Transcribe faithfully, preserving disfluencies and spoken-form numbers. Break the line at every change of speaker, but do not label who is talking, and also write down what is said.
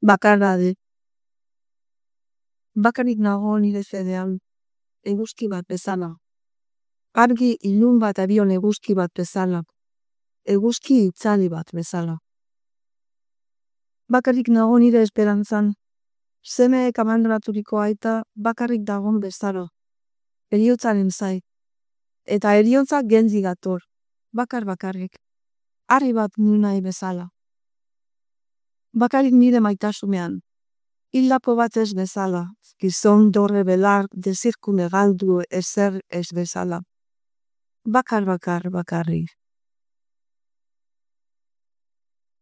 Bakarra de. Bakarrik nago nire fedean, eguzki bat bezala. Argi ilun bat abion eguzki bat bezala. Eguzki itzali bat bezala. Bakarrik nago nire esperantzan, semeek abandonatuko aita bakarrik dagon bezala. Heriotzaren zai. Eta heriotza genzi gator, bakar bakarrik. Harri bat nunai bezala. Bakarrik nire maitasumean. Hildako bat ez bezala, gizon dorre belar dezirkune galdu ezer ez bezala. Bakar bakar bakarrik.